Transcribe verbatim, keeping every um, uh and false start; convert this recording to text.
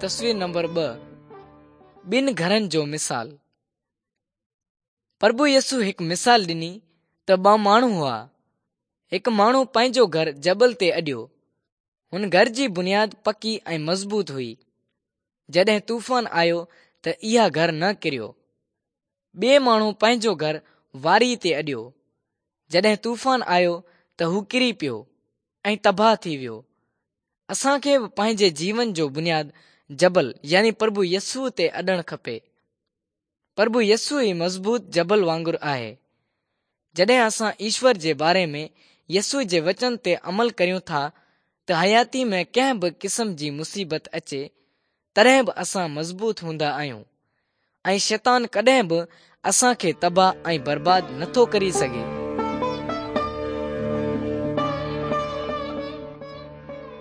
تصوير نمبر ٻه، ٻن گهرن جو مثال. پرڀو يسوع هڪ مثال ڏني ته ٻه ماڻهو هئا. هڪ ماڻهو پنهنجو گهر جبل تي اڏيو. هن گهر جي بنياد پڪي ۽ مضبوط هئي. جڏهن طوفان آيو ته اها گهر نه ڪريو. ٻئي ماڻهو پنهنجو گهر واري تي اڏيو. جڏهن طوفان آيو ته هو ڪري پيو ۽ تباهه ٿي ويو. اسان کي به پنهنجي جيون جو بنياد جبل يعني پرڀو يسوع تي اڏڻ کپي. پرڀو يسوع ئي مضبوط جبل وانگر آهي. جڏهن اسان ايشور جي باري ۾ يسوع جي وچن تي عمل ڪريون ٿا ته حياتي ۾ ڪنهن به قسم جي مصيبت اچي تڏهن به اسان مضبوط هوندا آهيون ۽ شيطان ڪڏهن به اسان کي تباهه ۽ برباد نٿو ڪري سگهي.